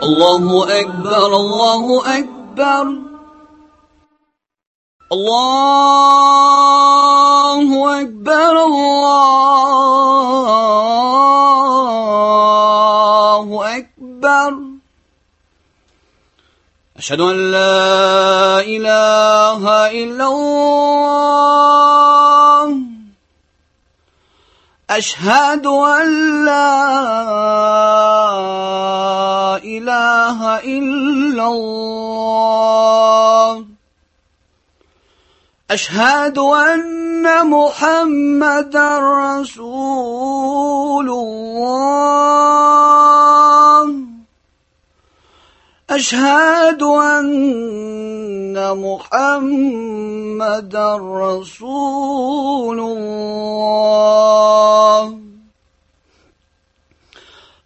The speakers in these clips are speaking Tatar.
الله أكبر الله أكبر الله أكبر الله أكبر أشهد أن لا إله إلا الله أشهد أن لا إله إلا الله أشهد أن محمدا رسول الله أشهد أن محمدا رسول الله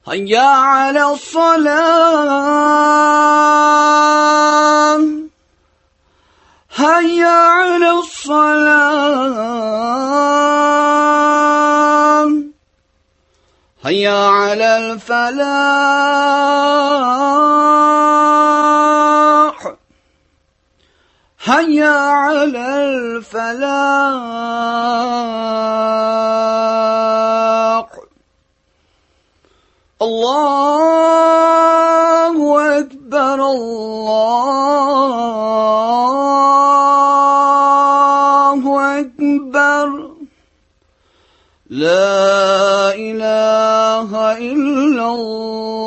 هيا على الصلاة هيا على الصلاة هيا على الفلاح هيا على الفلاح الله أكبر الله أكبر لا إله إلا الله.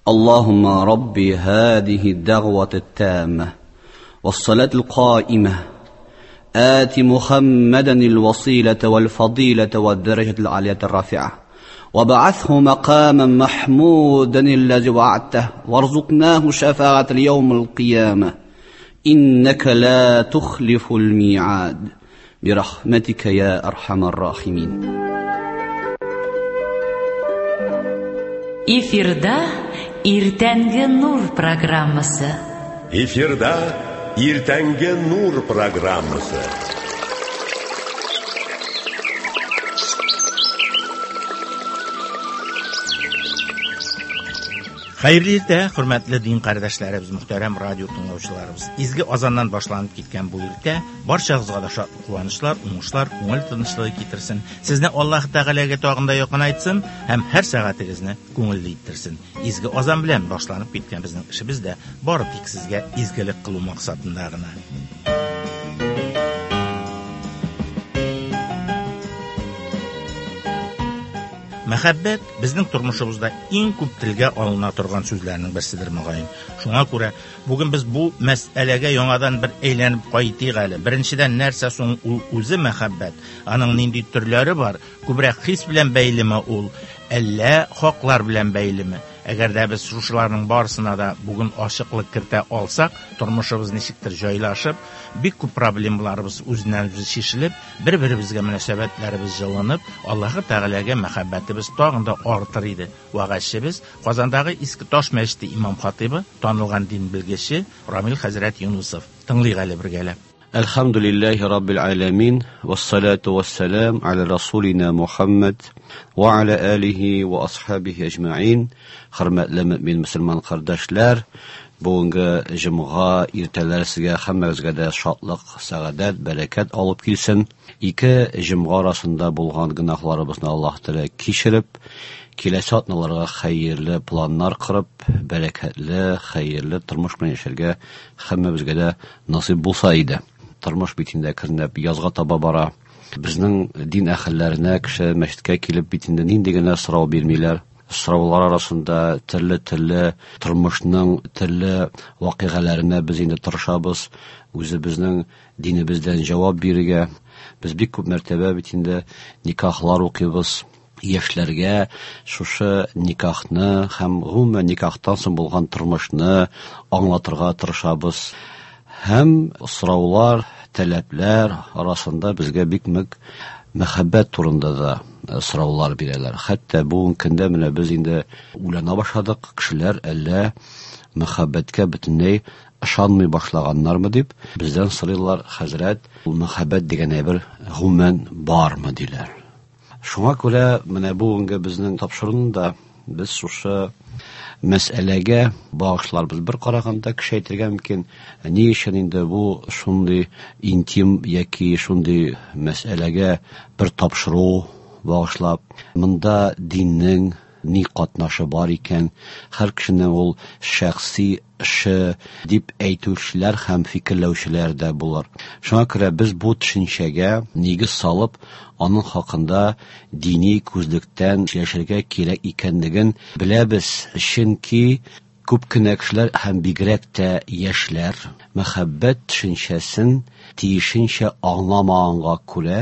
اللهم ربي هذه الدعوة التامة والصلاة القائمة آت محمدا الوسيلة والفضيلة والدرجة العالية الرافعة وبعثه مقاما محمودا الذي وعدته وارزقناه شفاعة اليوم القيامة إنك لا تخلف الميعاد برحمتك يا أرحم الراحمين. Эфирда Иртәнге Нур программасы. Эфирда Иртәнге Нур программасы. Хәерле иртә, хөрмәтле дин кардәшләребез, мөхтәрәм радио тыңлаучыларыбыз. Изге азаннан башланып киткән бу иртә барчагызга да шатлык, куанычлар, уңышлар, күңел тынычлыгы китерсен. Сезне Аллаһ Тәгаләгә тагын да якынайтсын һәм һәр сәгатегезне күңелле иттерсен. Изге азан белән башланып киткән безнең эшебез дә бары тик сезгә изгелек кылу максатында гына. Мәхәббәт безнең тормышыбызда иң күп телгә алына торган сүзләрнең берседер мөгаен. Шуңа күрә бүген без бу мәсьәләгә яңадан бер әйләнеп кайтыйк әле. Беренчедән, нәрсә соң ул үзе мәхәббәт? Аның нинди төрләре бар? Күбрәк хис белән бәйлеме ул, әллә хаклар белән бәйлеме? Әгәр дә без шушыларның барысына да бүген ачыклык кертә алсак, тормышыбыз ничектер җайлашып, бик күп проблемаларыбыз үзеннән-үзе чишелеп, бер-беребезгә мөнәсәбәтләребез җылынып, Аллаһы Тәгаләгә мәхәббәтебез тагын да артыр иде. Вәгазьчебез Казандагы Иске Таш мәчете имам хатибы, танылган дин белгече Рамил хәзрәт Юнусов. Тыңлыйк әле бергәләп. Әлхәмдүлилләһи раббил аләмин, вассалату вассалам аля расулина Мухаммад ва аля алихи ва асхабихи әҗмәин. Хөрмәтле мөмин мөселман кардәшләр, бүгенге җомга иртәләр сезгә һәммәгезгә дә шатлык, сәгадәт, бәрәкәт алып килсен. Ике җомга арасында булган гөнаһларыбызны Аллаһ Тәгалә кичереп, киләсе атналарга хәерле планнар корып, бәрәкәтле, хәерле тормыш белән яшәргә һәммәбезгә дә насыйп булса иде. Тормыш бит инде әкренләп язга таба бара. Безнең дин әһелләренә кеше мәчеткә килеп бит инде нинди генә сорау бирмиләр. Сораулар арасында төрле-төрле тормышның төрле вакыйгаларына без инде тырышабыз үзебезнең динебездән җавап бирергә. Без бик күп мәртәбә бит инде никахлар укыйбыз. Яшьләргә шушы никахны һәм гомумән никахтан соң булган тормышны аңлатырга тырышабыз. Һәм сораулар, таләпләр арасында безгә бик нык мәхәббәт турында да сораулар бирәләр. Хәтта бүгенге көндә менә без инде уйлана башладык, кешеләр әллә мәхәббәткә бөтенләй ышанмый башлаганнармы дип бездән сорыйлар, хәзрәт, ул мәхәббәт дигән әйбер гомумән бармы диләр. Шуңа күрә менә бүгенге безнең тапшыруны да без шушы мәсьәләгә багышларбыз. Бер караганда кеше әйтергә мөмкин, ни өчен инде бу шундый интим яки шундый мәсьәләгә бер тапшыру багышлап, монда диннең ни катнашы бар икән, һәр кешенең ул шәхси эше дип әйтүчеләр һәм фикерләүчеләр дә булыр. Шуңа күрә без бу төшенчәгә нигез салып, аның хакында дини күзлектән сөйләшергә кирәк икәнлеген беләбез. Чөнки күп кенә кешеләр һәм бигрәк тә яшьләр мәхәббәт төшенчәсен тиешенчә аңламаганга күрә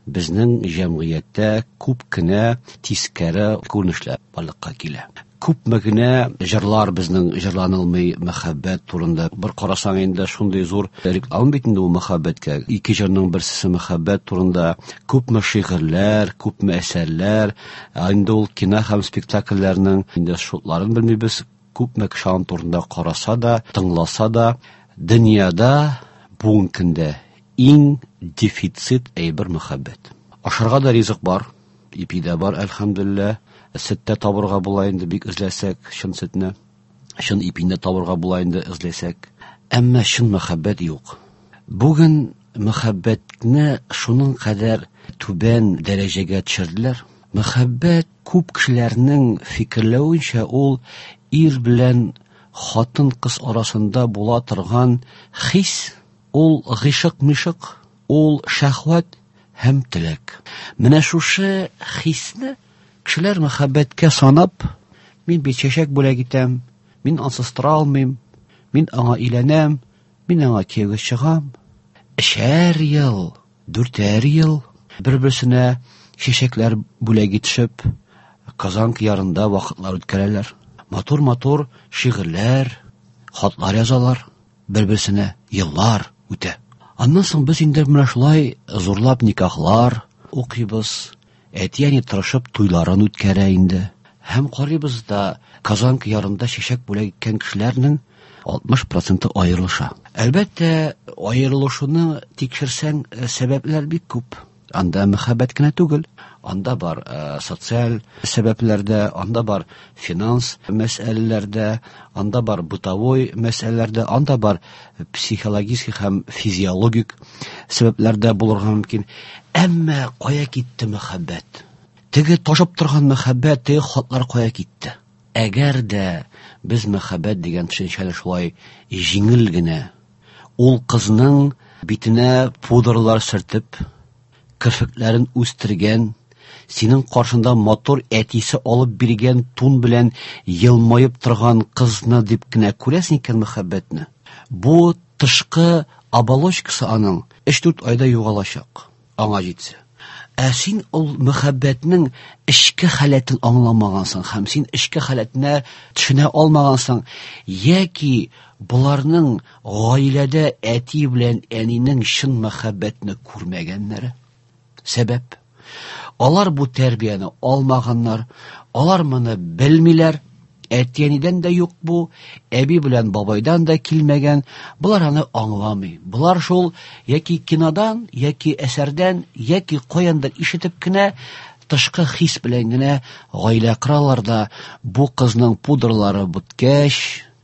безнең җәмгыятьтә күп кенә тискәре күренешләр барлыкка килә. Күпме генә җырлар безнең җырланылмый мәхәббәт турында. Бер карасаң инде шундый зур реклама бит инде ул мәхәббәткә. Ике җырның берсе мәхәббәт турында. Күпме шигырьләр, күпме әсәрләр, инде ул кино һәм спектакльләрнең инде шутларын белмибез. Күпме кеше аның турында караса да, тыңласа да, дөньяда бүгенге көндә иң дефицит әйбер мәхәббәт. Ашарга да ризык бар, ипи дә бар, әлхәмдүлилләһ. Сөт тә табырга була инде бик эзләсәк, чын сөтне, чын ипине дә табырга була инде эзләсәк. Әмма чын мәхәббәт юк. Бүген мәхәббәтне шуның кадәр түбән дәрәҗәгә төшерделәр. Мәхәббәт күп кешеләрнең фикерләвенчә ул ир белән хатын-кыз арасында була торган хис, ул гыйшык-мишык, ул шәһвәт һәм теләк. Менә шушы хисне кешеләр мәхәббәткә санап, мин бит чәчәк бүләк итәм, мин ансыз тора алмыйм, мин аңа өйләнәм, мин аңа кияүгә чыгам. Өчәр ел, дүртәр ел бер-берсенә чәчәкләр бүләк итешеп, Казан кыярында вакытлар үткәрәләр. Матур-матур шигырьләр, хатлар язалар, бер-берсенә еллар үтә. Аннан соң без инде менә шулай зурлап никахлар укыйбыз. Әти-әни тырышып туйларын үткәрә инде. Һәм карыйбыз да, Казан кыярында чәчәк бүләк иткән кешеләрнең 60% аерылыша. Әлбәттә, аерылышуны тикшерсәң, сәбәпләр бик күп. Анда мәхәббәт кенә түгел, анда бар социаль сәбәпләр дә, анда бар финанс мәсьәләләр дә, анда бар бытовой мәсьәләләр дә, анда бар психологический һәм физиологик сәбәпләр дә булырга мөмкин. Әмма кая китте мәхәббәт? Теге ташып торган мәхәббәт, теге хатлар кая китте? Әгәр дә без мәхәббәт дигән төшенчәне шулай җиңел генә ул кызның битенә пудралар сөртеп, керфекләрен үстергән, синең каршында матур әтисе алып биргән тун белән елмаеп торган кызны дип кенә күрәсең икән мәхәббәтне. Бу тышкы оболочкасы аның 3-4 айда югалачак, аңа җитсә. Ә син ул мәхәббәтнең эчке халәтен аңламагансың һәм син эчке халәтенә төшенә алмагансың, яки буларның гаиләдә әти белән әнинең чын мәхәббәтне күрмәгәннәре сәбәп. Алар бу тәрбияне алмаганнар, алар моны белмиләр. Әти-әнидән дә юк бу, әби белән бабайдан да килмәгән. Булар аны аңламый. Булар шул яки кинодан, яки әсәрдән, яки каяндыр ишетеп кенә тышкы хис белән генә гаилә коралар да, бу кызның пудралары беткәч,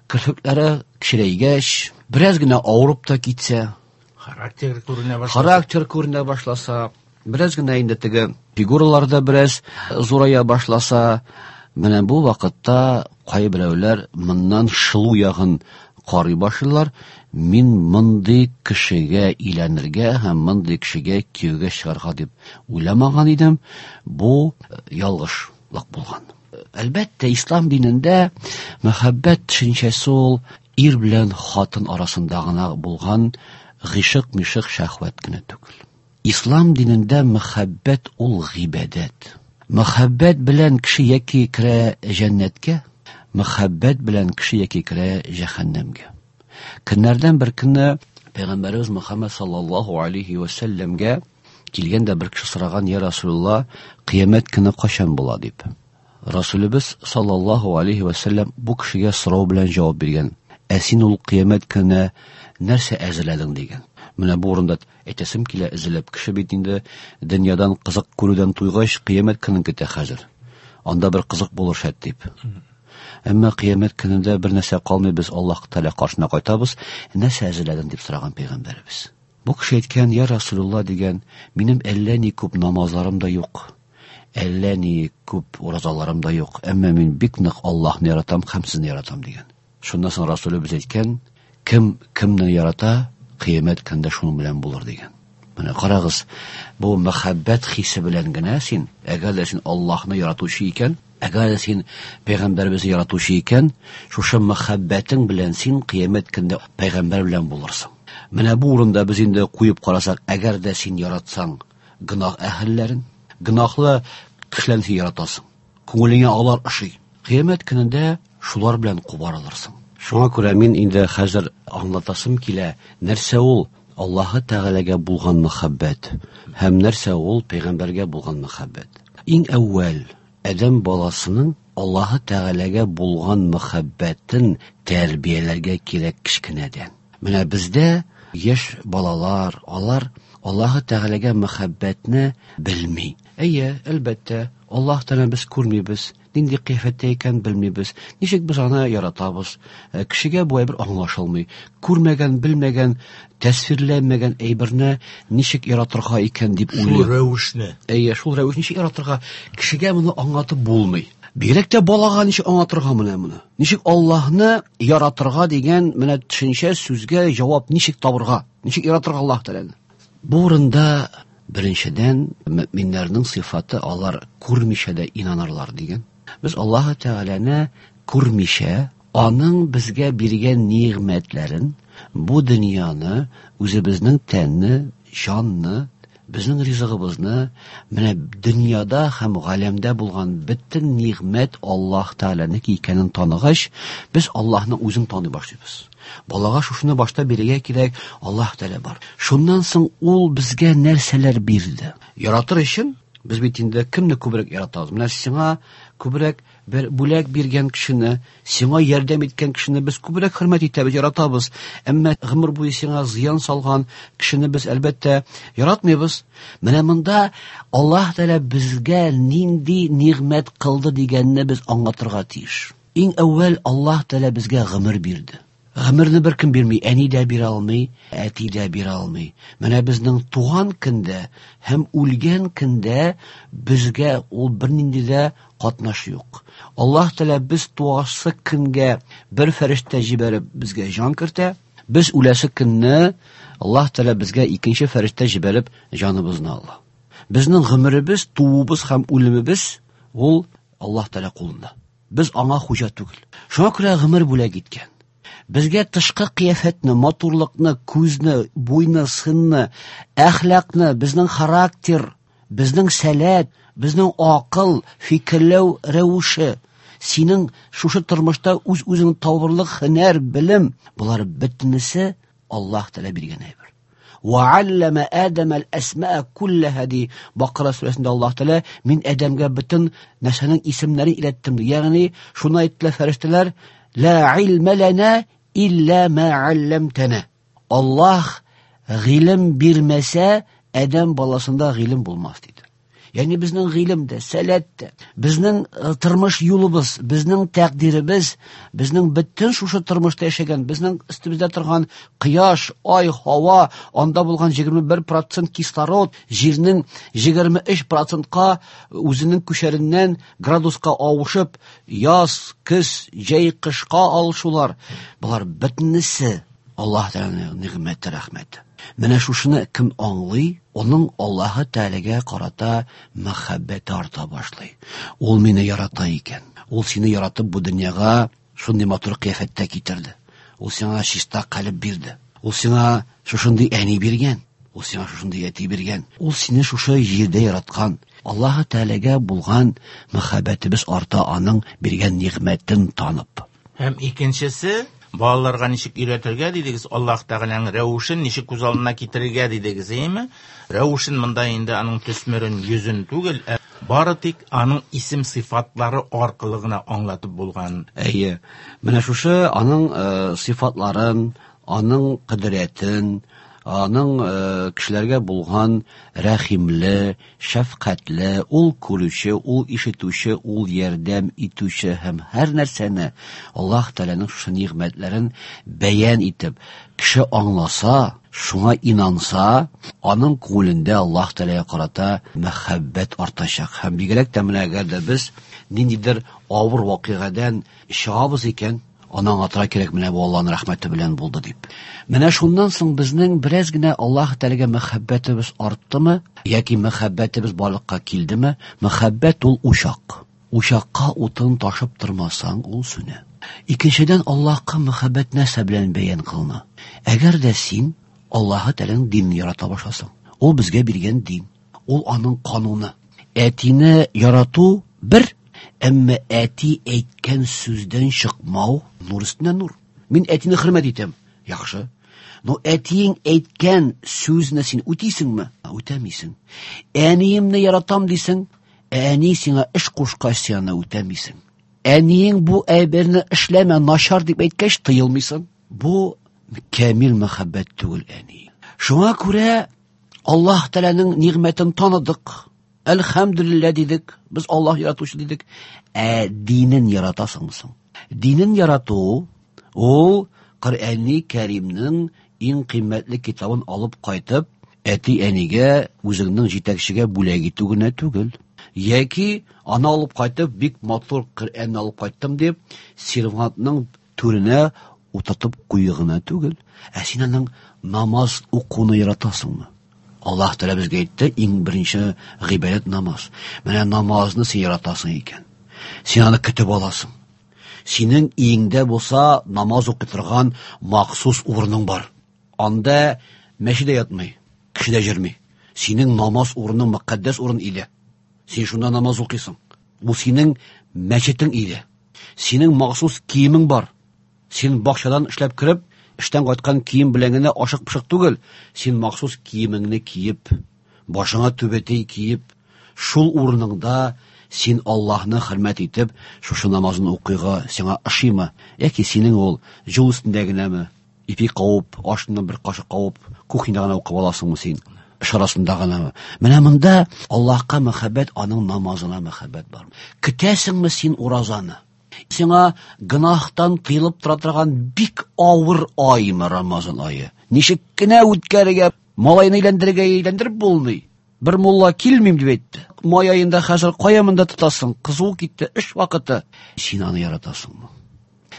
керфекләре кечерәйгәч, бераз генә авырып та китсә, характер күренә башласа, характер күренә башласа, бераз генә инде теге фигуралар да бераз зурая башласа, менә бу вакытта кайберәүләр моннан шылу ягын карый башлыйлар. Мин мондый кешегә өйләнергә һәм мондый кешегә кияүгә чыгарга дип уйламаган идем. Бу ялгышлык булган. Әлбәттә, ислам динендә мәхәббәт төшенчәсе ул ир белән хатын арасында гына булган гыйшык-мишык шәһвәт кенә түгел. Ислам динендә мәхәббәт ул гыйбадәт. Мәхәббәт белән кеше яки керә җәннәткә, мәхәббәт белән кеше яки керә җәһәннәмгә. Көннәрдән бер көнне Пәйгамбәребез Мөхәммәд саллаллаһу алейхи ва сәлләмгә килгән дә бер кеше сораган: "Я Расулулла, кыямәт көне кайчан була?" дип. Расулыбыз саллаллаһу алейхи ва сәлләм бу кешегә сорау белән җавап биргән. Ә син ул кыямәт көненә нәрсә әзерләдең дигән. Менә бу урында әйтәсем килә, эзләп кеше бит инде дөньядан кызык күрүдән туйгач, кыямәт көнен көтә хәзер. Анда бер кызык булыр шәт дип. Әмма кыямәт көнендә бер нәрсә калмый, без Аллаһ Тәгалә каршына кайтабыз. Нәрсә әзерләдең дип сораган пәйгамбәребез. Бу кеше әйткән, я Расулулла дигән, минем әллә ни күп намазларым да юк, әллә ни күп уразаларым да юк, әмма мин бик нык Аллаһны яратам һәм сезне яратам дигән. Шуннан соң Расулыбыз әйткән, кем кемне ярата, кыямәт көнендә шуның белән булыр дигән. Менә карагыз, бу мәхәббәт хисе белән генә син, әгәр дә син Аллаһны яратучы икән, әгәр дә син пәйгамбәребезне яратучы икән, шушы мәхәббәтең белән син кыямәт көнендә пәйгамбәр белән булырсың. Менә бу урында без инде куеп карасак, әгәр дә син яратсаң гөнаһ әһелләрен, гөнаһлы кешеләрне син яратасың. Күңелеңә алар ошый. Кыямәт көнендә шулар белән кубарылырсың. Шуңа күрә мин инде хәзер аңлатасым килә, нәрсә ул Аллаһы Тәгаләгә булган мәхәббәт һәм нәрсә ул пәйгамбәргә булган мәхәббәт. Иң әүвәл адәм баласының Аллаһы Тәгаләгә булган мәхәббәтен тәрбияләргә кирәк кечкенәдән. Менә бездә яшь балалар, алар Аллаһы Тәгаләгә мәхәббәтне белми. Әйе, әлбәттә, Аллаһ Тәгаләне без күрмибез, нинди кыяфәттә икән белмибез. Ничек без аны яратабыз? Кешегә бу әйбер аңлашылмый. Күрмәгән, белмәгән, тәсвирләнмәгән әйберне ничек яратырга икән дип уйлый. Шул рәвешне. Әйе, шул рәвешне ничек яратырга? Кешегә моны аңлатып булмый. Бигрәк тә балага ничек аңлатырга менә моны? Ничек Аллаһны яратырга дигән менә төшенчә сүзгә җавап ничек табырга? Ничек яратырга Аллаһ Тәгаләне? Бу урында беренчедән мөэминнәрнең сыйфаты алар күрмичә дә инанырлар дигән. Без Аллаһ Тәгаләне күрмичә, аның безгә биргән нигъмәтләрен, бу дөньяны, үзебезнең тәнне, җанны, безнең ризыгыбызны, менә дөньяда һәм галәмдә булган бөтен нигъмәт Аллаһ Тәгаләнеке икәнен таныгач, без Аллаһның үзен таный башлыйбыз. Балага шушыны башта бирергә кирәк, Аллаһ Тәгалә бар. Шуннан соң ул безгә нәрсәләр бирде? Яратыр өчен без бит инде кемне күбрәк яратабыз? Менә сиңа күбрәк бер бүләк биргән кешене, сиңа ярдәм иткән кешене без күбрәк хөрмәт итәбез, яратабыз. Әмма гомер буе сиңа зыян салган кешене без әлбәттә яратмыйбыз. Менә монда Аллаһ Тәгалә безгә нинди нигъмәт кылды дигәнне без аңлатырга тиеш. Иң әүвәл Аллаһ Тәгалә безгә гомер бирде. Гомерне беркем бирми, әни дә бирә алмый, әти дә бирә алмый. Менә безнең туган көндә һәм үлгән көндә безгә ул бернинди дә катнаш юк. Аллаһ Тәгалә без туасы көнгә бер фәрештә җибәреп безгә җан кертә. Без үләсе көнне Аллаһ Тәгалә безгә икенче фәрештә җибәреп җаныбызны ала. Безнең гомеребез, тууыбыз һәм үлемебез ул Аллаһ Тәгалә кулында. Без аңа хуҗа түгел. Шуңа күрә гомер бүләк иткән. Безгә тышкы кыяфәтне, матурлыкны, күзне, буйны, сынны, әхлакны, безнең характер, безнең сәләт, безнең акыл, фикерләү рәвеше, синең шушы тормышта үз-үзеңне табырлык һөнәр, белем, болар бөтенесе Аллаһ Тәгалә биргән әйбер. Вәалләмә Адәмәл әсмәә күлләһә ди Бакара сүрәсендә Аллаһ Тәгалә, мин Адәмгә бөтен нәрсәнең исемнәрен өйрәттем ди. Ягъни шуны әйттеләр фәрештәләр, ла илмә ләнә илля ма алламтана. Аллаһ гыйлем бирмәсә, Адәм баласында гыйлем булмас диде. Ягъни безнең гыйлем дә, сәләт тә, безнең тормыш юлыбыз, безнең тәкъдиребез, безнең бөтен шушы тормышта яшәгән, безнең өстебездә торган кояш, ай, һава, анда булган 21% кислород, җирнең 23%-ка үзенең күчәреннән градуска авышып, яз, көз, җәй, кышка алышулар, болар бөтенесе Аллаһ Тәгаләнең нигъмәте, рәхмәте. Менә шушыны кем аңлый, оның Аллаһы Тәгаләгә карата мәхәббәте арта башлый. Ул мине ярата икән. Ул сине яратып бу дөньяга шундый матур кыяфәттә китерде. Ул сиңа чиста калеб бирде. Ул сиңа шушындый әни биргән. Ул сиңа шушындый әти биргән. Ул сине шушы җирдә яраткан. Аллаһы Тәгаләгә булган мәхәббәтебез арта аның биргән нигъмәтен танып. Һәм икенчесе, Балаларга ничек өйрәтергә дидегез, Аллаһ Тәгаләнең рәвешен ничек күз алдына китерергә дидегез, әйеме? Рәвешен монда инде аның төсмерен, йөзен түгел, ә бары тик аның исем сыйфатлары аркылы гына аңлатып булган. Әйе. Менә шушы аның сыйфатларын, аның кодрәтен, аның кешеләргә булган рәхимле, шәфкатьле, ул күрүче, ул ишетүче, ул ярдәм итүче һәм һәр нәрсәне Аллаһ Тәгаләнең шушы нигъмәтләрен бәян итеп, кеше аңласа, шуңа инанса, аның күңелендә Аллаһ Тәгаләгә карата мәхәббәт артачак. Һәм бигрәк тә менә әгәр дә без ниндидер авыр вакыйгадан чыгабыз икән, аны аңлатырга кирәк, менә бу Аллаһның рәхмәте белән булды дип. Менә шуннан соң безнең бераз генә Аллаһ Тәгаләгә мәхәббәтебез арттымы, яки мәхәббәтебез барлыкка килдеме? Мәхәббәт ул учак. Учакка утын ташып тормасаң, ул сүнә. Икенчедән, Аллаһка мәхәббәт нәрсә белән бәян кылына? Әгәр дә син Аллаһ Тәгаләнең динен ярата башласаң, ул безгә биргән дин, ул аның кануны. Әтине ярату бер, әмма әти әйткән сүздән чыкмау нур өстенә нур. Мин әтине хөрмәт итәм. Яхшы. Но әтиең әйткән сүзне син үтисеңме? Үтәмисең. Әниемне яратам дисең, ә әни сиңа эш кушкач, син аны үтәмисең. Әниең бу әйберне эшләмә, начар дип әйткәч, тыелмыйсың. Бу камил мәхәббәт түгел, әни. Шуңа күрә Аллаһ Тәгаләнең нигъмәтен таныдык. Әлхәмдүлилләһ дидек, без Аллаһ яратучы дидек. Ә динен яратасыңмы соң? Динен ярату ул Коръәни Кәримнең иң кыйммәтле китабын алып кайтып, әти-әнигә, үзеңнең җитәкчегә бүләк итү генә түгел. Яки аны алып кайтып, бик матур Коръәнне алып кайттым дип, сервантның түренә утыртып кую гына түгел. Ә син аның намаз укуны яратасыңмы? Аллаһ Тәгалә безгә әйтте, иң беренче гыйбадәт намаз. Менә намазны син яратасың икән. Син аны көтеп аласың. Синең өеңдә булса намаз укый торган махсус урының бар. Анда мәчет дә ятмый, кеше дә йөрми. Синең намаз урының мөкатдәс урын иде. Син шунда намаз укыйсың. Бу синең мәчетең иде. Синең махсус киемең бар. Син бакчадан эшләп кереп, эштән кайткан кием белән генә ашык-пышык түгел. Син махсус киемеңне киеп, башыңа түбәтәй киеп, шул урыныңда син Аллаһны хөрмәт итеп, шушы намазын укыйга сиңа ошыймы? Яки синең ул юл өстендә генәме? Ипи кавып, ашны бер кашык кавып, кухняда гына укып аласыңмы син? Эш арасында гынамы? Менә монда Аллаһка мәхәббәт, аның намазына мәхәббәт бар. Көтәсеңме син уразаны? Сиңа гөнаһтан тыелып тора торган бик авыр аймы Рамазан ае? Ничек кенә үткәрергә, малайны әйләндерергә әйләндереп булмый. Бер мулла килмим дип әйтте. Май аенда хәзер кая монда тотасың? Кызу китте, эш вакыты. Син аны яратасыңмы?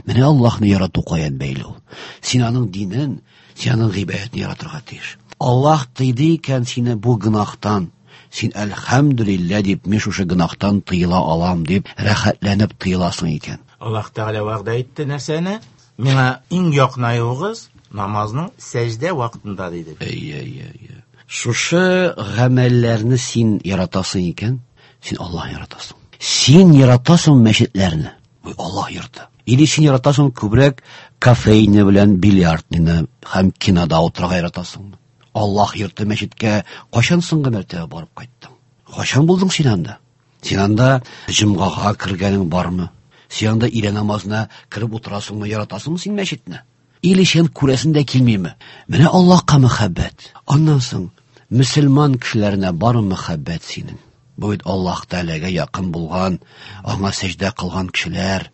Менә Аллаһны ярату каян бәйле ул? Син аның динен, син аның гыйбадәтен яратырга тиеш. Аллаһ тыйды икән сине бу гөнаһтан. Син әлхәмдүлилләһ дип, мин шушы гөнаһтан тыела алам дип, рәхәтләнеп тыеласың икән. Аллаһ Тәгалә вәгъдә итте нәрсәне? Миңа иң якынаюыгыз намазның сәҗдә вакытында диде. Әйе, әйе, әйе. Шушы гамәлләрне син яратасың икән, син Аллаһны яратасың. Син яратасың мәчетләрне. Бу Аллаһ йорты. Или син яратасың күбрәк кафейны белән бильярдныйны һәм кинода утырырга яратасыңмы? Аллаһ йорты мәчеткә кайчан соңгы мәртәбә барып кайттың? Кайчан булдың син анда? Син анда җомгага кергәнең бармы? Син анда өйлә намазына кереп утырасыңмы, яратасыңмы син мәчетне? Или син күрәсең дә килмиме? Менә Аллаһка мәхәббәт. Аннан соң мөселман кешеләренә бармы мәхәббәт синең? Бу бит Аллаһ Тәгаләгә якын булган, аңа сәҗдә кылган кешеләр.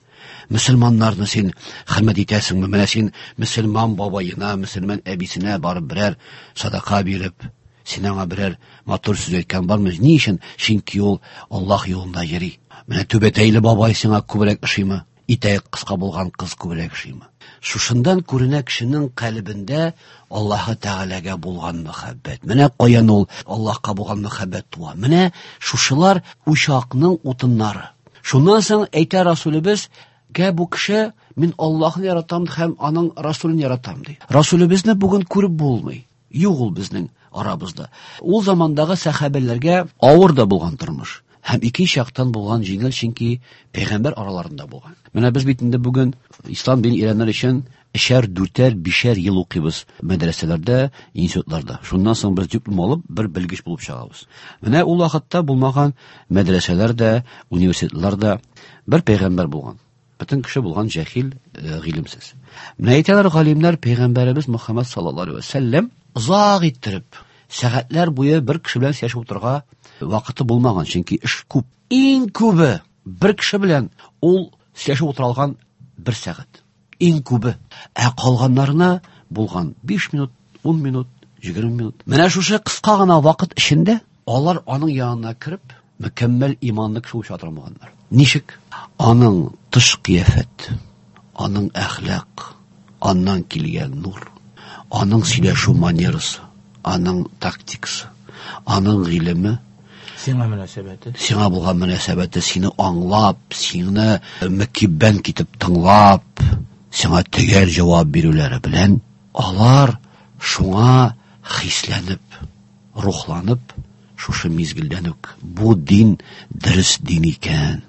Мөселманнарны син хөрмәт итәсеңме? Менә син мөселман бабаена, мөселман әбисенә барып берәр садака биреп, син аңа берәр матур сүз әйткән бармы? Ни өчен? Чөнки ул Аллаһ юлында йөри. Менә түбәтәйле бабай сиңа күбрәк ошыймы? Итәк кыска булган кыз күбрәк ошыймы? Шушындан күренә кешенең калебендә Аллаһы Тәгаләгә булган мәхәббәт. Менә каян ул Аллаһка булган мәхәббәт туа. Менә шушылар учакның утыннары. Шуннан соң әйтә Расулебез, Гә бу кеше мин Аллаһны яратам һәм аның Расулын яратам ди. Расулебезне бүген күреп булмый. Юк ул безнең арабызда. Ул замандагы сәхабәләргә авыр да булган тормыш. Һәм икенче яктан булган җиңел, чөнки пәйгамбәр араларында булган. Менә без бит инде бүген ислам динен өйрәнер өчен өчәр, дүртәр, бишәр ел укыйбыз мәдрәсәләрдә, институтларда. Шуннан соң без диплом алып, бер белгеч булып чыгабыз. Менә ул вакытта булмаган мәдрәсәләр дә, университетлар да бер пәйгамбәр булган. Бөтен кеше булган җәһил, гыйлемсез. Менә әйтәләр галимнәр, пәйгамбәребез Мөхәммәд саллаллаһу алейһи ва сәлләм озак иттереп, сәгатьләр буе бер кеше белән сөйләшеп утырырга вакыты булмаган, чөнки эш күп. Иң күбе бер кеше белән ул сөйләшеп утыра алган бер сәгать. Иң күбе. Ә калганнарына булган 5 минут, 10 минут, 20 минут. Менә шушы кыска гына вакыт эчендә алар аның янына кереп, мөкәммәл иманлы кеше булып чыга торганнар. Ничек? Аның тыш кыяфәт, аның әхлак, аннан килгән нур, аның сөйләшү манерасы, аның тактикасы, аның гыйлеме, сиңа мөнәсәбәте, сиңа булган мөнәсәбәте, сине аңлап, сине мөкиббән китеп тыңлап, сиңа төгәл җавап бирүләре белән алар шуңа хисләнеп, рухланып, шушы мизгелдән үк бу дин дөрес дин икән,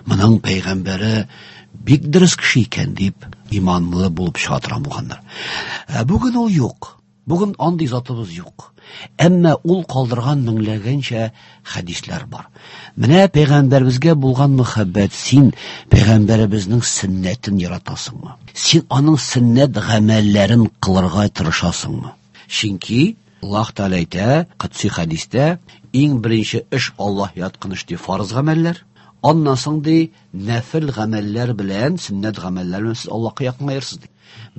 моның пәйгамбәре бик дөрес кеше икән дип иманлы булып чыга торган булганнар. Ә бүген ул юк. Бүген андый затыбыз юк. Әмма ул калдырган меңләгәнчә хәдисләр бар. Менә пәйгамбәребезгә булган мөхәббәт, син пәйгамбәребезнең сөннәтен яратасыңмы? Син аның сөннәт гамәлләрен кылырга тырышасыңмы? Чөнки Аллаһ Тәгалә әйтә, кытси хәдистә, иң беренче эш Аллаһ яткан эш ди фарыз гамәлләр. Аннан соң ди нәфил гамәлләр белән, сөннәт гамәлләр белән сез Аллаһка якынаерсыз ди.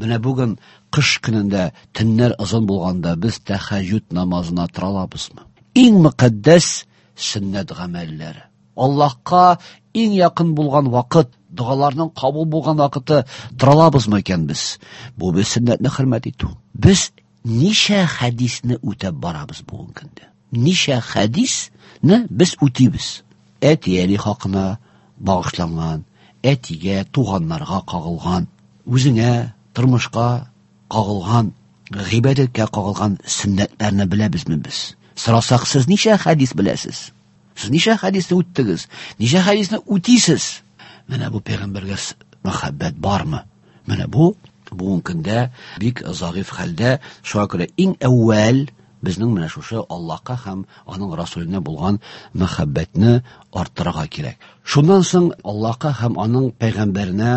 Менә бүген кыш көнендә төннәр озын булганда без тәһәҗҗүд намазына тора алабызмы? Иң мөкаддәс сөннәт гамәлләре. Аллаһка иң якын булган вакыт, догаларның кабул булган вакыты тора алабызмы икән без? Бу без сөннәтне хөрмәт итү. Без ничә хәдисне үтәп барабыз бүгенге көндә? Ничә хәдисне без үтибез? Әти-әни хакына багышланган, әтигә, туганнарга кагылган, үзеңә, тормышка кагылган, гыйбадәткә кагылган сөннәтләрне беләбезме без? Сорасак, сез ничә хәдис беләсез? Сез ничә хәдисне үттегез? Ничә хәдисне үтисез? Менә бу пәйгамбәргә мәхәббәт бармы? Менә бу бүгенге көндә бик зәгыйфь хәлдә. Шуңа күрә иң әүвәл безнең менә шушы Аллаһка һәм аның Расуленә булган мәхәббәтне арттырырга кирәк. Шуннан соң Аллаһка һәм аның пәйгамбәренә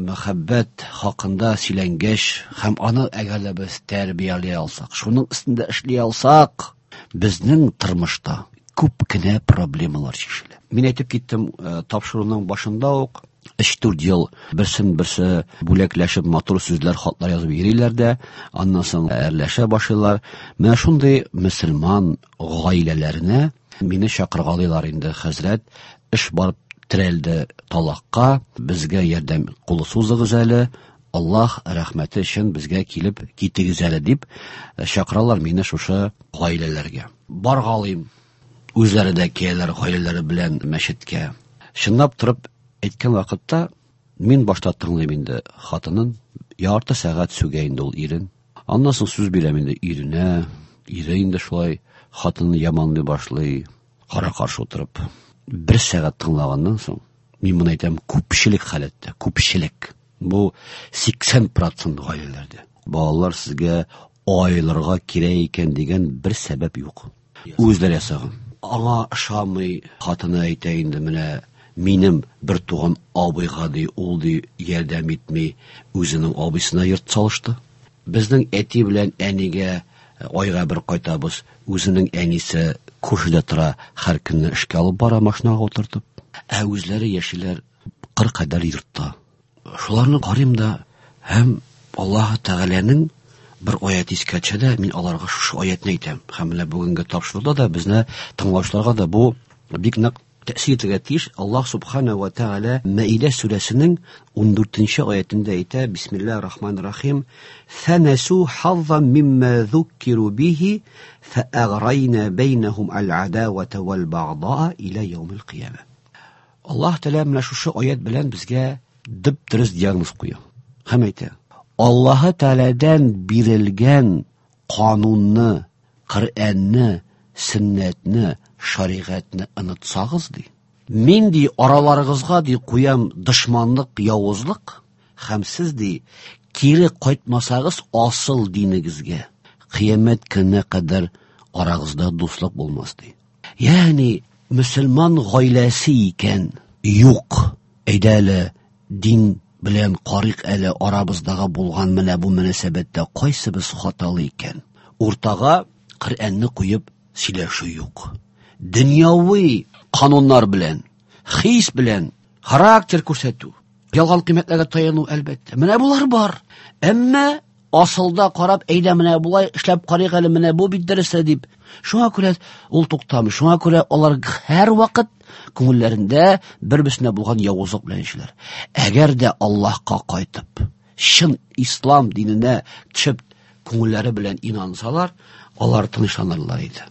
мәхәббәт хакында сөйләнгәч һәм аны әгәр дә без тәрбияли алсак, шуның өстендә эшли алсак, безнең тормышта күп кенә проблемалар чишелә. Мин әйтеп киттем, тапшыруның башында ук 3-4 ел берсен берсе бүләкләшеп матур сүзләр, хатлар язып йөриләр дә, аннан соң әрләшә башлыйлар. Менә шундый мөселман гаиләләренә мине чакыргалыйлар инде, хәзрәт, эш барып терәлде талакка, безгә ярдәм кулы сузыгыз әле, Аллаһ рәхмәте өчен безгә килеп китегез әле дип чакыралар мине шушы гаиләләргә. Баргалыйм, үзләре дә киләләр гаиләләре белән мәчеткә. Чынлап торып әйткән вакытта мин башта тыңлыйм инде хатынын, ярты сәгать сүгә инде ул ирен. Аннан соң сүз бирәм инде иренә, ире инде шулай хатынны яманлый башлый, кара-каршы утырып. Бер сәгать тыңлаганнан соң, мин моны әйтәм, күпчелек халәттә, күпчелек. Бу 80% гаиләләрдә. Балалар сезгә аерылырга кирәк икән дигән бер сәбәп юк. Үзләре ясаган. Аңа ошамый, хатыны әйтә инде, менә минем бер туган абыйга ди, ул ди ярдәм итми, үзенең абыйсына йорт салышты. Безнең әти белән әнигә айга бер кайтабыз, үзенең әнисе күршедә тора, һәр көнне эшкә алып бара машинага утыртып. Ә үзләре яшиләр кыр кадәр йортта. Шуларны карыйм да, һәм Аллаһ Тәгаләнең бер аят искә төшә дә, мин аларга шушы аятны әйтәм. Һәм менә бүгенге тапшыруда да безне тыңлаучыларга да бу бик нык тәэсир итәргә тиеш. Аллаһ Субхана ва Тәгалә Мәидә сүрәсенең 14-нче аятендә әйтә: Бисмиллаһир рахманир рахим. Фанасу хаззан мимма зуккиру бихи фааграйна бәйнәһум аль-адавата вал багъдаа ила яумил кыяма. Аллаһ Тәгалә менә шушы аят белән безгә дөп-дөрес диагноз куя. Һәм әйтә: Аллаһ Тәгаләдән бирелгән канунны, Коръәнне, сөннәтне, шәригатьне онытсагыз ди. Мин ди араларыгызга ди куям дошманлык, явызлык һәм сез ди кире кайтмасагыз асыл динегезгә, кыямәт көненә кадәр арагызда дуслык булмас ди. Ягъни мөселман гаиләсе икән, юк, әйдә әле дин белән карыйк әле арабыздагы булган менә бу мөнәсәбәттә кайсыбыз хаталы икән. Уртага Коръәнне куеп сөйләшү юк. Дөньяви кануннар белән, хис белән характер күрсәтү, ялган кыйммәтләргә таяну әлбәттә. Менә болар бар. Әмма асылда карап, әйдә менә болай эшләп карыйк әле, менә бу бит дөресе дип. Шуңа күрә ул туктамый. Шуңа күрә алар һәрвакыт күңелләрендә бер-берсенә булган явызлык белән яшиләр. Әгәр дә Аллаһка кайтып, чын ислам диненә төшеп, күңелләре белән инансалар, алар тынычланырлар иде.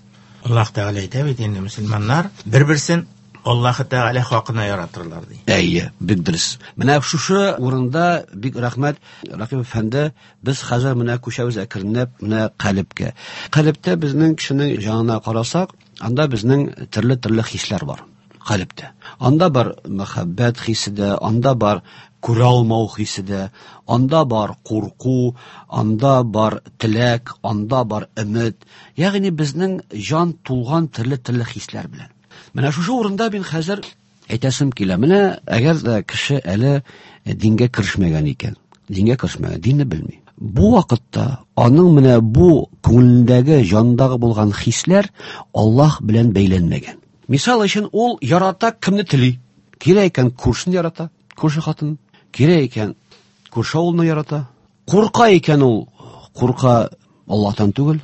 Аллаһ Тәгалә әйтә бит инде, мөселманнар бер-берсен Аллаһ Тәгалә хакына яратырлар ди. Әйе, бик дөрес. Менә шушы урында бик рәхмәт, Рәкыйп әфәнде, без хәзер менә күчәбез әкренләп менә калебкә. Калебтә безнең кешенең җанына карасак, анда безнең төрле-төрле хисләр бар. Калебтә. Анда бар мәхәббәт хисе дә, анда бар күрә алмау хисе дә, анда бар курку, анда бар теләк, анда бар өмет. Ягъни безнең җан тулган төрле-төрле хисләр белән. Менә шушы урында мин хәзер әйтәсем килә. Менә әгәр дә кеше әле дингә керешмәгән икән, дингә керешмәгән, динне белми. Бу вакытта аның менә бу күңелендәге, җанындагы булган хисләр Аллаһ белән бәйләнмәгән. Мисал өчен, ул ярата кемне тели. Кирәк икән күршен ярата, күрше хатын. Кирәк икән күрше авылны ярата. Курка икән ул, курка Аллаһтан түгел.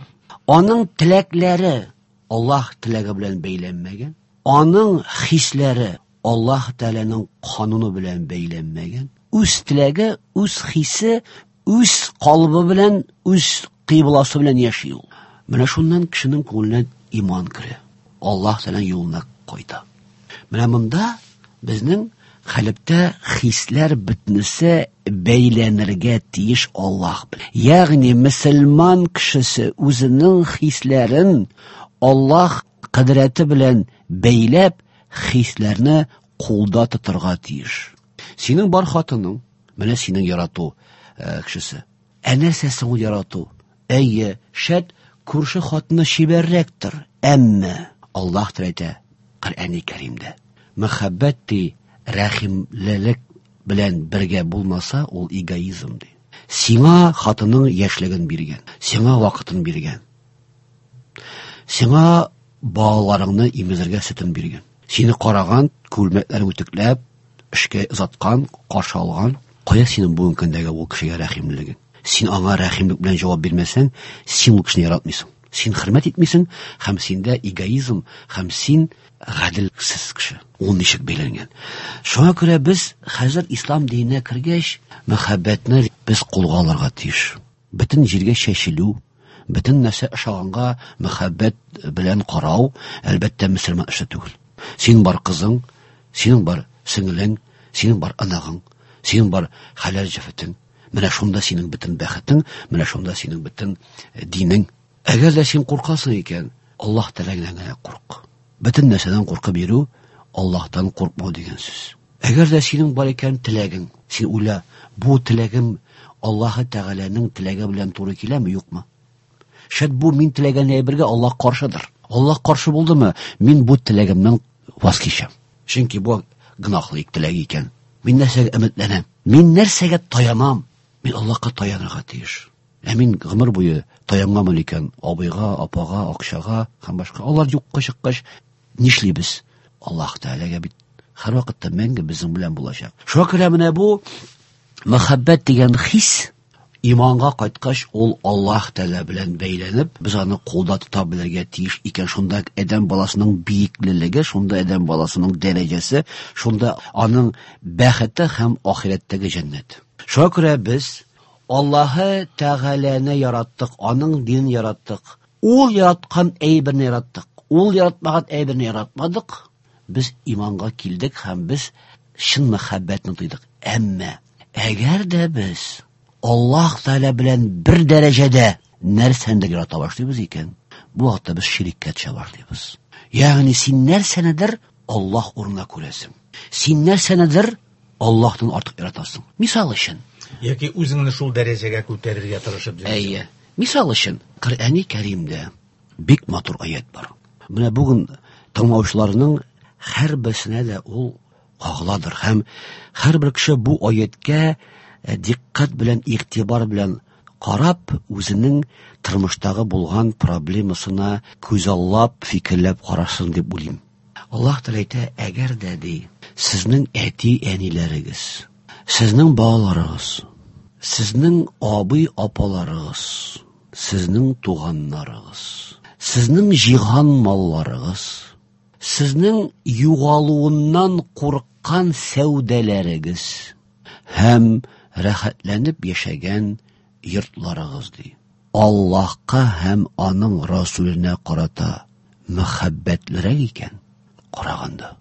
Аның теләкләре Аллаһ теләге белән бәйләнмәгән. Аның хисләре Аллаһ Тәгаләнең кануны белән бәйләнмәгән. Үз теләге, үз хисе, үз калыбы белән, үз кыйбласы белән яши ул. Менә шуннан кешенең күңеленә иман керә. Аллаһ Тәгаләнең юлына кайта. Менә монда безнең калебтә хисләр бөтенесе бәйләнергә тиеш Аллаһ белән. Ягъни мөселман кешесе үзенең хисләрен Аллаһ кадрәте белән бәйләп, хисләрне кулда тотарга тиеш. Синең бар хатының, менә синең ярату кешесе. Ә нәрсәсе ул ярату? Әйе, шәт күрше хатыны чибәррәктер, әмма Аллаһ әйтә Коръәни Кәримдә. Мәхәббәт ди рәхимлелек белән бергә булмаса, ул эгоизм ди. Сиңа хатының яшьлеген биргән, сиңа вакытын биргән. Сиңа балаларыңны имезергә сөтен биргән. Сине караган, күлмәкләрен үтүкләп, эшкә озаткан, каршы алган. Кая синең бүгенге көндәге ул кешегә рәхимлелегең? Син аңа рәхимлек белән җавап бирмәсәң, син ул кешене яратмыйсың. Син хөрмәт итмисең, һәм синдә эгоизм, һәм син гаделсез кеше. Ул ничек бәйләнгән? Шуңа күрә без хәзер ислам диненә кергәч, мәхәббәтне без кулга алырга тиеш. Бөтен җиргә чәчелү, бөтен нәрсә ошаганга мәхәббәт белән карау, әлбәттә, мөселман эше түгел. Синең бар кызың, синең бар сеңлең, синең бар анагың, синең бар хәләл җефетең. Менә шунда синең бөтен бәхетең, менә шунда синең бөтен динең. Әгәр дә син куркасың икән, Аллаһ Тәгаләдән генә курк. Бөтен нәрсәдән куркып йөрү Аллаһтан куркмау дигән сүз. Әгәр дә синең бар икән теләгең, син уйла, бу теләгем Аллаһ Тәгаләнең теләге белән туры киләме, юкмы? Шәт бу мин теләгән әйбергә Аллаһ каршыдыр. Аллаһ каршы булдымы, мин бу теләгемнән ваз кичәм. Чөнки бу гөнаһлы теләк икән. Мин нәрсәгә өметләнәм? Мин нәрсәгә таянам? Мин Аллаһка таянырга тиеш. Ә мин гомер буе таянганмын икән абыйга, апага, акчага һәм башка. Алар юкка чыккач, нишлибез? Аллаһ Тәгаләгә бит һәрвакытта мәңге безнең белән булачак. Шуңа күрә менә бу мәхәббәт дигән хис иманга кайткач, ул Аллаһ Тәгалә белән бәйләнеп, без аны кулда тота белергә тиеш икән. Шунда адәм баласының биеклелеге, шунда адәм баласының дәрәҗәсе, шунда аның бәхете һәм ахирәттәге җәннәт. Шуңа күрә без Аллаһы Тәгаләне яраттык, аның динен яраттык. Ул яраткан әйберне яраттык. Ул яратмаган әйберне яратмадык. Без иманга килдек һәм без чын мәхәббәтне тойдык. Әмма әгәр дә без Аллаһ Тәгалә белән бер дәрәҗәдә нәрсәнедер ярата башлыйбыз икән, бу вакытта без шириккә төшә башлыйбыз. Ягъни син нәрсәнедер Аллаһ урынына күрәсең. Син нәрсәнедер Аллаһтан артык яратасың. Мисал өчен. Яки үзеңне шул дәрәҗәгә күтәрергә тырышып йөрисең. Әйе. Мисал өчен, Коръәни Кәримдә бик матур аят бар. Менә бүген тыңлаучыларның һәрберсенә дә ул кагыладыр һәм һәрбер кеше бу аяткә дикъкать белән, игътибар белән карап, үзенең тормыштагы булган проблемасына күзаллап, фикерләп карасын дип уйлыйм. Аллаһ Тәгалә әйтә, әгәр дә ди, сезнең әти-әниләрегез, сезнең балаларыгыз, сезнең абый-апаларыгыз, сезнең туганнарыгыз, сезнең җыйган малларыгыз, сезнең югалуыннан курыккан сәүдәләрегез һәм рәхәтләнеп яшәгән йортларыгыз ди. Аллаһка һәм аның Расуленә карата мәхәббәтлерәк икән караганда.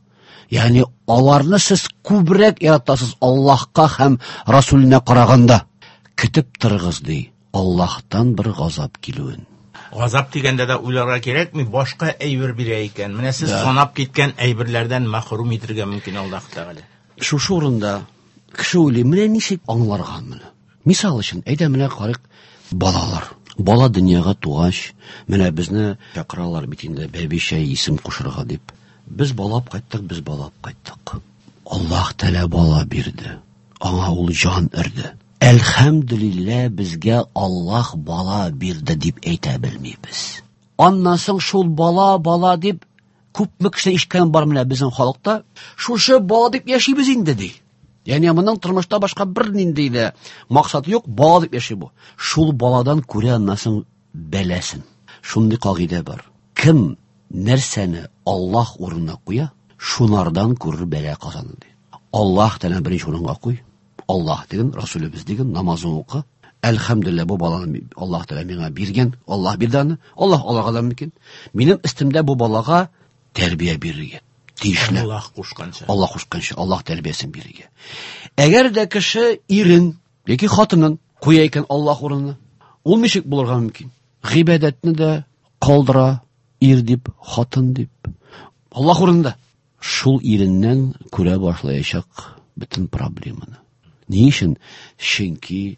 Ягъни аларны сез күбрәк яратасыз Аллаһка һәм Расуленә караганда. Көтеп торыгыз ди, Аллаһтан бер газап килүен. Газап дигәндә дә уйларга кирәкми, башка әйбер бирә икән. Менә сез санап киткән әйберләрдән мәхрүм итергә мөмкин Аллаһ Тәгалә. Шушы урында кеше уйлый, менә ничек аңларга моны? Мисал өчен, әйдә менә карыйк, балалар. Бала дөньяга тугач, менә безне чакыралар бит инде бәбичә исем кушырга дип. Без балап кайттык, без балап кайттык. Аллаһ Тәгалә бала бирде. Аңа ул җан өрде. Әлхәмдүлилләһ, безгә Аллаһ бала бирде дип әйтә белмибез. Аннан соң шул бала, бала дип күпме кеше ишеткән бар менә безнең халыкта. Шушы бала дип яшибез инде ди. Ягъни моның тормышта башка бер нинди дә максаты юк, бала дип яши бу. Шул баладан күрә аннан соң бәласен. Шундый кагыйдә бар. Кем нәрсәне Аллаһ урынына куя, шунардан күрер бәла казаны ди. Аллаһ Тәгалә беренче урынга куй. Аллаһ диген, Расулебез диген, намазын укы. Әлхәмдүлилләһ, бу баланы Аллаһ Тәгалә миңа биргән, Аллаһ бирде аны. Аллаһ алырга да мөмкин. Минем өстемдә бу балага тәрбия бирергә тиешле. Аллаһ кушканча. Аллаһ кушканча, Аллаһ тәрбиясен бирергә. Әгәр дә кеше ирен яки хатынын куя икән Аллаһ урынына, ул ничек булырга мөмкин? Гыйбадәтне дә калдыра, ир дип, хатын дип. Аллаһ урынында. Шул иреннән күрә башлаячак бөтен проблеманы. Ни өчен? Чөнки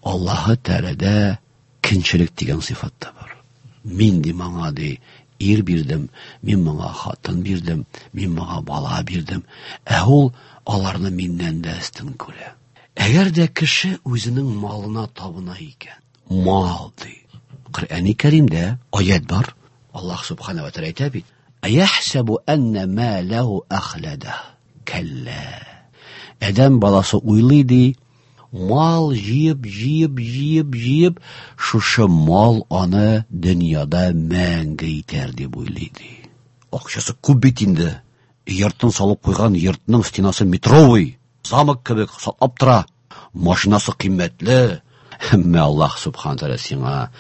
Аллаһы Тәгаләдә көнчелек дигән сыйфат та бар. Мин ди моңа ди ир бирдем, мин моңа хатын бирдем, мин моңа бала бирдем. Ә ул аларны миннән дә өстен күрә. Әгәр дә кеше үзенең малына табына икән, мал ди. Коръәни Кәримдә аят бар. Аллаһ субхана ва тәгалә әйтә бит: Әяхсәбу әннә ма ләһу әхләдә. Кәллә. Адәм баласы уйлый ди, мал җыеп, җыеп, җыеп, җыеп, шушы мал аны дөньяда мәңге итәр дип уйлый ди. Акчасы күп бит инде. Йортын салып куйган, йортның стенасы метровый, замок кебек саклап тора. Машинасы кыйммәтле. Әмма Аллаһ субхана тәгалә сиңа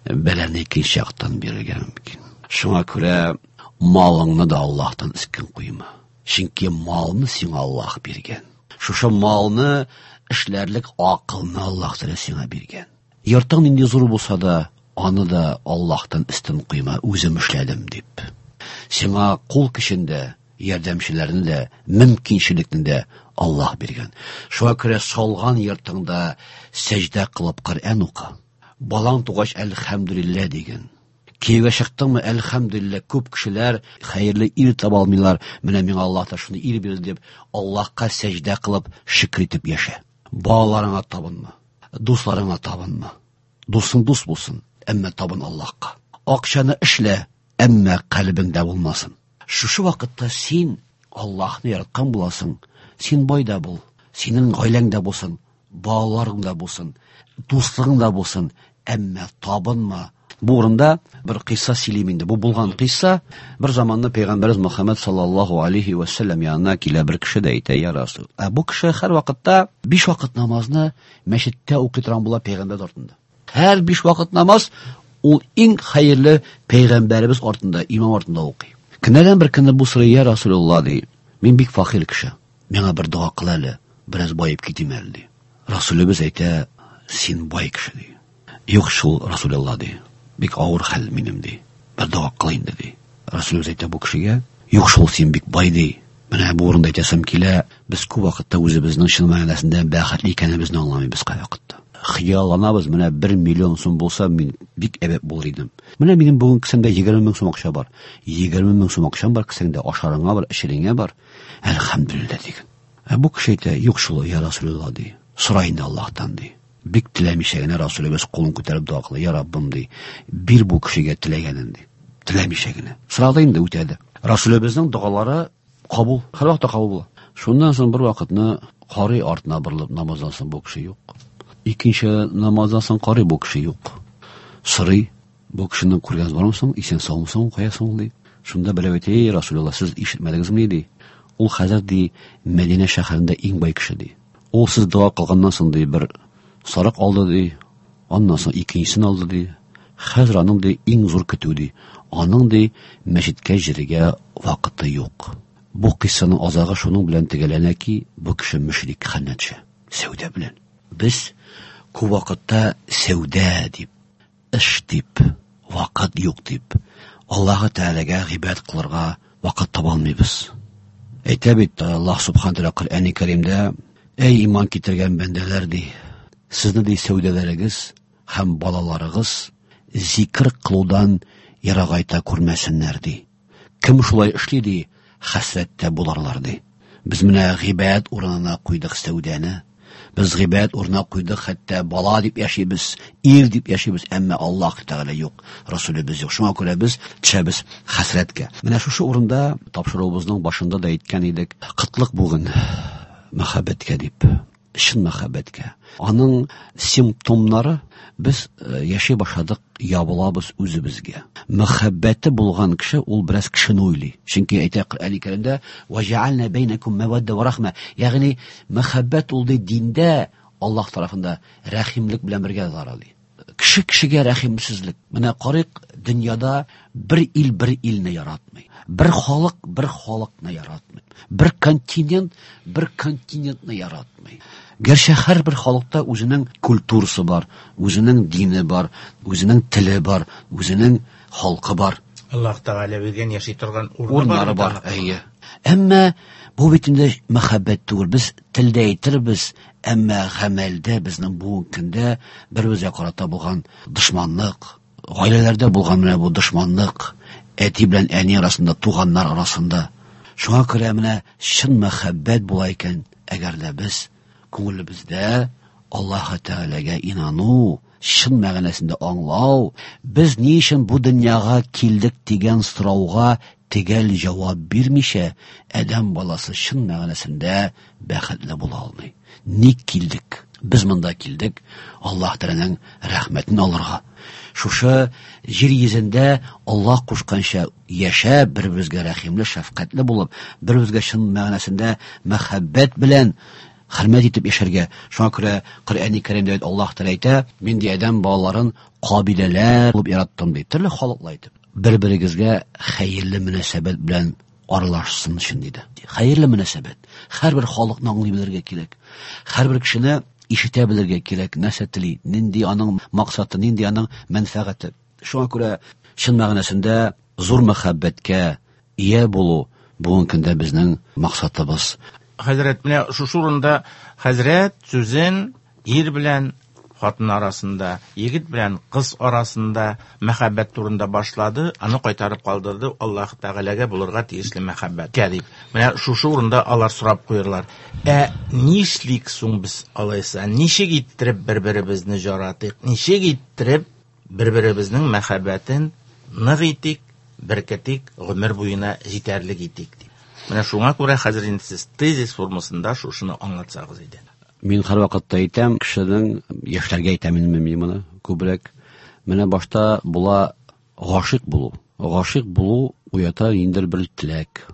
бәлане икенче яктан бирергә мөмкин. Шуңа күрә малыңны да Аллаһтан өстен куйма. Чөнки малны сиңа Аллаһ биргән. Шушы малны эшләрлек акылны Аллаһ Тәгалә сиңа биргән. Йортың нинди зур булса да, аны да Аллаһтан өстен куйма, үзем эшләдем дип. Сиңа кул көчен дә, ярдәмчеләрне дә, мөмкинчелекне дә Аллаһ биргән. Шуңа күрә салган йортыңда сәҗдә кылып Коръән укы. Балаң тугач әлхәмдүлилләһ диген. Кияүгә чыктыңмы, әлхәмдүлилләһ, күп кешеләр хәерле ир таба алмыйлар. Менә миңа Аллаһ та шундый ир бирде дип, Аллаһка сәҗдә кылып, шөкер итеп яшә. Балаларыңа табынма, дусларыңа табынма. Дусың дус булсын, әмма табын Аллаһка. Акчаны эшлә, әмма калбеңдә булмасын. Шушы вакытта син Аллаһны яраткан буласың. Син бай да бул, синең гаиләң дә булсын, балаларың да булсын, дуслыгың да булсын, әмма табынма. Бу урында бер кыйсса сөйлим инде. Бу булган кыйсса, бер заманны Пәйгамбәребез Мөхәммәд саллаллаһу алейхи ва саллям янына килә бер кеше дә әйтә: "Я Расул". Ә бу кеше һәр вакытта 5 вакыт намазны мәчеттә укый торган була пәйгамбәр артында. Һәр 5 вакыт намаз ул иң хәерле пәйгамбәребез артында, имам артында укый. Көннәрдән бер көнне бу сорый: "Я Расулулла", ди. "Мин бик факир кеше. Миңа бер дога кыл әле, бераз баеп китим әле", ди. Расулыбыз әйтә: "Син бай кеше", ди. Юк шул, Расулулла, ди. Бик авыр хәл минем, ди. Бер дога кыл инде, ди. Расулыбыз әйтә бу кешегә: Юк шул, син бик бай, ди. Менә бу урында әйтәсем килә, без күп вакытта үзебезнең чын мәгънәсендә бәхетле икәнебезне аңламыйбыз кайвакытта. Хыялланабыз, менә 1 миллион сум булса, мин бик әйбәт булыр идем. Менә минем бүген кесәмдә 20 мең сум акча бар. 20 мең сум акчам бар кесәңдә, ашарыңа бар, эчереңә бар. Әлхәмдүлилләһ диген. Ә бу кеше әйтә, юк шул, я Расулулла, ди. Сора инде Аллаһтан, ди. Бик теләмичә генә Расулыбыз кулын күтәреп дога кыла, я Раббым, ди. Бир бу кешегә теләгәнен, ди. Теләмичә генә. Сорады инде, үтәде. Расулыбызның догалары кабул, һәрвакытта кабул була. Шуннан соң бер вакытны карый артына борылып намаздан соң бу кеше юк. Икенче намаздан соң карый бу кеше юк. Сорый, бу кешене күргәнегез бармы соң, исән саумы соң, кая соң, ди. Шунда берәү әйтә, эй, Расулулла, сез ишетмәдегезме, ди. Ул хәзер, ди, Мәдинә шәһәрендә иң бай кеше, ди. Ул сез дога кылганнан соң, ди, бер сарык алды, ди. Аннан соң икенчесен алды, ди. Хәзер аның, ди, иң зур көтү, ди. Аның, ди, мәчеткә җиргә вакыты юк. Бу кыйссаның азагы шуның белән төгәлләнә ки, бу кеше мөшрик хәленә төшә. Сәүдә белән. Без күп вакытта сәүдә дип, эш дип, вакыт юк дип, Аллаһы Тәгаләгә гыйбадәт кылырга вакыт таба алмыйбыз. Әйтә бит Аллаһ Субхану Тәгалә Коръәни Кәримдә, әй иман китергән бәндәләр, ди, сезне ди сәүдәләрегез һәм балаларыгыз зикр кылудан ерагайта күрмәсеннәр, ди. Кем шулай эшли, ди, хәсрәттә буларлар, ди. Без менә гыйбадәт урынына куйдык сәүдәне. Без гыйбадәт урынына куйдык, хәтта бала дип яшибез, ир дип яшибез, әмма Аллаһ Тәгалә юк, Расулебез юк. Шуңа күрә без төшәбез хәсрәткә. Менә шушы урында тапшыруыбызның башында да әйткән идек, кытлык бүген мәхәббәткә дип. Чын мәхәббәткә. Аның симптомнары без яши башладык, ябылабыз үзебезгә. Мәхәббәте булган кеше ул бераз кешене уйлый. Чөнки әйтә Коръәни Кәримдә, "Ва җәгальна бәйнәкум мәвәддә ва рахма". Ягъни мәхәббәт ул ди диндә Аллаһ тарафында рәхимлек белән бергә бара ди. Кеше кешегә рәхимсезлек. Менә карыйк, дөньяда бер ил бер илне яратмый. Бер халык бер халыкны яратмый. Бер континент бер континентны яратмый. Гәрчә һәрбер халыкта үзенең культурасы бар, үзенең дине бар, үзенең теле бар, үзенең халкы бар. Аллаһ Тәгалә биргән яши торган урыны бар. Әйе. Әмма бу бит инде мәхәббәт түгел. Без телдә әйтербез, әмма гамәлдә безнең бүгенге көндә бер-беребезгә карата булган дошманлык, гаиләләрдә булган менә бу дошманлык, әти белән әни арасында, туганнар арасында. Шуңа күрә менә чын мәхәббәт була икән, әгәр дә без күңелебездә Аллаһ Тәгаләгә инану, чын мәгънәсендә аңлау, без ни өчен бу дөньяга килдек дигән сорауга төгәл җавап бирмичә, адәм баласы чын мәгънәсендә бәхетле була алмый. Ник килдек? Без монда килдек Аллаһ Тәгаләнең рәхмәтен алырга. Шушы җир йөзендә Аллаһ кушканча яшәп, бер-беребезгә рәхимле, шәфкатьле булып, бер-беребезгә чын мәгънәсендә мәхәббәт белән хөрмәт итеп яшәргә. Шуңа күрә Коръәни Кәримдә Аллаһ Тәгалә әйтә, мин ди адәм балаларын кабиләләр булып яраттым ди, төрле халыклар итеп. Бер-берегезгә хәерле мөнәсәбәт белән аралашсын өчен диде. Хәерле мөнәсәбәт. Һәрбер халыкны аңлый белергә кирәк. Һәрбер кешене ишетә белергә кирәк, нәрсә тели, нинди аның максаты, нинди аның мәнфәгате. Шуңа күрә чын мәгънәсендә зур мәхәббәткә ия булу бүгенге көндә безнең максатыбыз. Хәзрәт, менә шушы урында хәзрәт сүзен ир белән хатын арасында, егет белән кыз арасында мәхәббәт турында башлады, аны кайтарып калдырды Аллаһ Тәгаләгә булырга тиешле мәхәббәткә дип. Менә шушы урында алар сорап куерлар. Ә нишлик соң без алайса? Ничек иттереп бер-беребезне жаратыйк? Ничек иттереп бер-беребезнең мәхәббәтен нык итик, беркетик, гомер буена җитәрлек итик дип. Менә шуңа күрә хәзер инде сез тезис формасында шушыны аңлатсагыз иде. Мин һәрвакытта әйтәм, кешенең, яшьләргә әйтәм инде мин моны күбрәк. Менә башта була гашыйк булу. Гашыйк булу уята ниндидер бер теләк.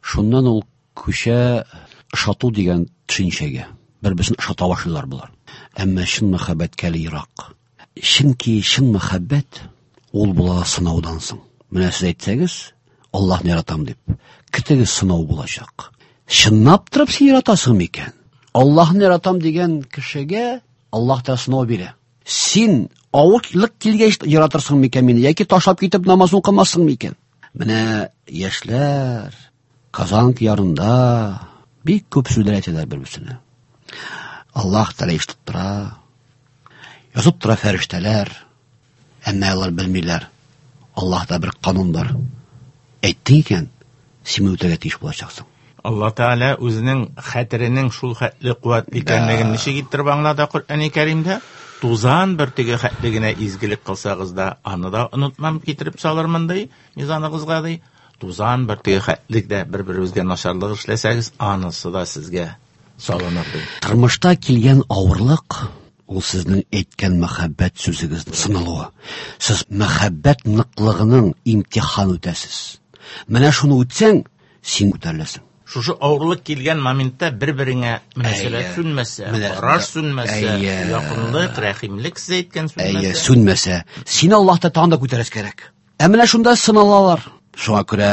Шуннан ул күчә ошату дигән төшенчәгә. Бер-берсен ошата башлыйлар болар. Әмма чын мәхәббәткә әле ерак. Чөнки чын мәхәббәт ул була сынаудан соң. Менә сез әйтсәгез, Аллаһны яратам дип, көтегез, сынау булачак. Чынлап торып син яратасың микән? Аллаһны яратам дигән кешегә Аллаһ та сынау бирә. Син авырлык килгәч яратырсың микән мине, яки ташлап китеп намаз укымассың микән? Менә яшьләр Казанка ярында бик күп сүзләр әйтәләр бер-берсенә. Аллаһ Тәгалә ишетеп тора. Язып тора фәрештәләр. Әмма алар белмиләр. Аллаһта бер канун бар. Әйттең икән, син үтәргә тиеш булачаксың. Алла Тәгалә үзенең хәтеренең шул хәтле куәтле икәнлеген ничек иттереп аңлата Коръәни Кәримдә? Тузан бөртеге хәтле генә изгелек кылсагыз да, аны да онытмам, китереп салырмын ди, мизаныгызга ди. Тузан бөртеге хәтле дә бер-берегезгә начарлык эшләсәгез, анысы да сезгә салыныр ди. Тормышта килгән авырлык ул сезнең әйткән мәхәббәт сүзегезнең сыналуы. Сез мәхәббәт ныклыгының имтихан үтәсез. Менә шуны үтсәң, син күтәреләсең. Шушы авырлык килгән моментта бер-береңә мөнәсәбәт сүнмәсә, караш сүнмәсә, якынлык, рәхимлек сез әйткән сүнмәсә. Әйе, сүнмәсә. Син Аллаһта тагын да күтәрәс кирәк. Ә менә шунда сыналалар. Шуңа күрә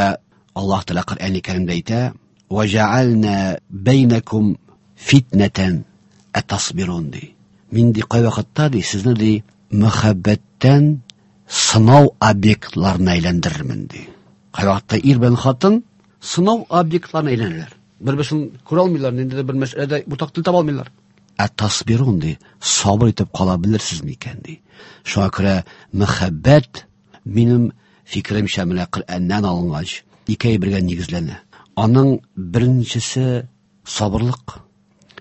Аллаһ Тәгалә Коръәни Кәримдә әйтә: "Ва җәгальна бәйнәкум фитнәтән атасбирун" ди. Мин ди кайвакытта ди сезне ди мәхәббәттән сынау объектларына әйләндерермен ди. Кайвакытта ир белән хатын сынау объектларына әйләнәләр. Бер-берсен күрә алмыйлар, ниндидер бер мәсьәләдә уртак тел таба алмыйлар. Ә тасбирун ди, сабыр итеп кала белерсез микән ди. Шуңа күрә мәхәббәт минем фикеремчә менә Коръәннән алынгач, ике әйбергә нигезләнә. Аның беренчесе сабырлык,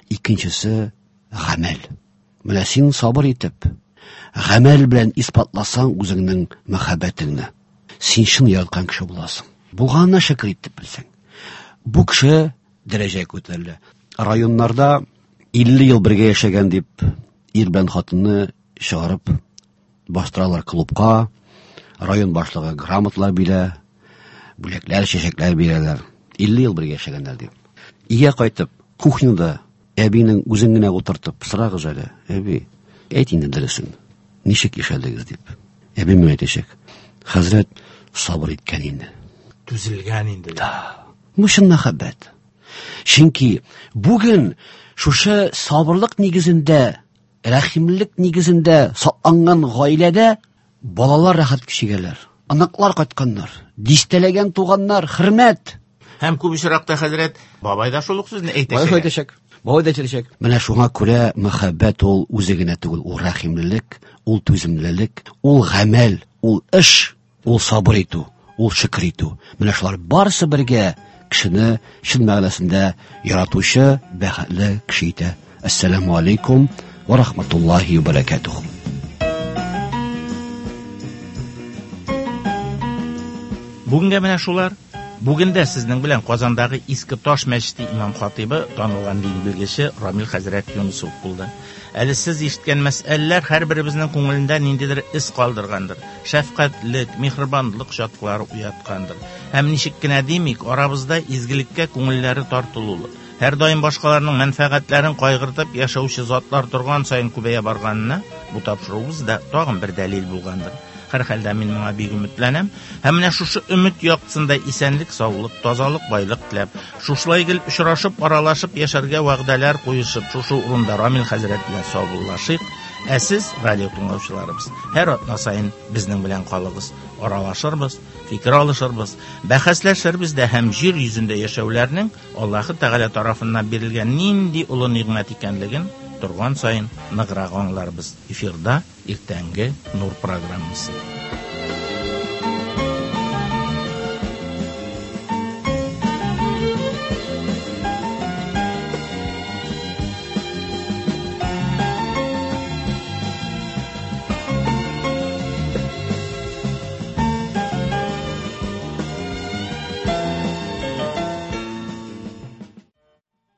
икенчесе гамәл. Менә син сабыр итеп, гамәл белән исбатласаң үзеңнең мәхәббәтеңне, син чын яраткан кеше буласың. Булганына шөкер итеп белсәң. Бу кеше дәрәҗәгә күтәрелә. Районнарда 50 ел бергә яшәгән дип ир белән хатынны чыгарып бастыралар клубка, район башлыгы грамоталар бирә, бүләкләр, чәчәкләр бирәләр. 50 ел бергә яшәгәннәр дип. Өйгә кайтып, кухняда әбинең үзен генә утыртып, сорагыз әле, әби, әйт инде дөресен, ничек яшәдегез дип. Әби миңа әйтәчәк, хәзрәт сабыр иткән инде. Түзелгән инде. Да. Бу чын мәхәббәт. Чөнки бүген шушы сабырлык нигезендә, рәхимлек нигезендә сакланган гаиләдә балалар рәхәт кичегәләр. Аныклар кайтканнар, дистәләгән туганнар, хөрмәт. Һәм күп очракта хәзрәт бабай да шул ук сүзне әйтәчәк. Бабай әйтәчәк. Бабай да әйтәчәк. Менә шуңа күрә мәхәббәт ул үзе генә түгел, ул рәхимлелек, ул түземлелек, ул гамәл, ул эш, ул сабыр итү, ул шөкер итү. Менә шулар барысы бергә кешене чын мәгънәсендә яратучы, бәхетле кеше итә. Ассаламу алейкум ва рахматуллахи ва баракатуху. Бүгенгә менә шулар. Бүген дә сезнең белән Казандагы Иске Таш мәчете имам хатибы, танылган дин белгече Рамил хәзрәт Юнысов булды. Әле сез ишеткән мәсьәләләр һәрберебезнең күңелендә ниндидер эз калдыргандыр, шәфкатьлек, миһербанлык чаткылары уяткандыр. Һәм ничек кенә димик, арабызда изгелеккә күңелләре тартылулы, һәрдаим башкаларның мәнфәгатьләрен кайгыртып яшәүче затлар торган саен күбәя барганына бу тапшыруыбыз да тагын бер дәлил булгандыр. Һәрхәлдә мин моңа бик өметләнәм. Һәм менә шушы өмет яктысында исәнлек, саулык, тазалык, байлык теләп, шушылай гел очрашып, аралашып яшәргә вәгъдәләр куешып, шушы урында Рамил хәзрәт белән саубуллашыйк. Ә сез, радио тыңлаучыларыбыз, һәр атна саен безнең белән калыгыз, аралашырбыз, фикер алышырбыз, бәхәсләшербез дә һәм җир йөзендә яшәүләрнең Аллаһы Тәгалә тарафыннан бирелгән нинди олы нигъмәт икәнлеген торган саен ныграк аңларбыз. Эфирда иртәнге Нур программасы.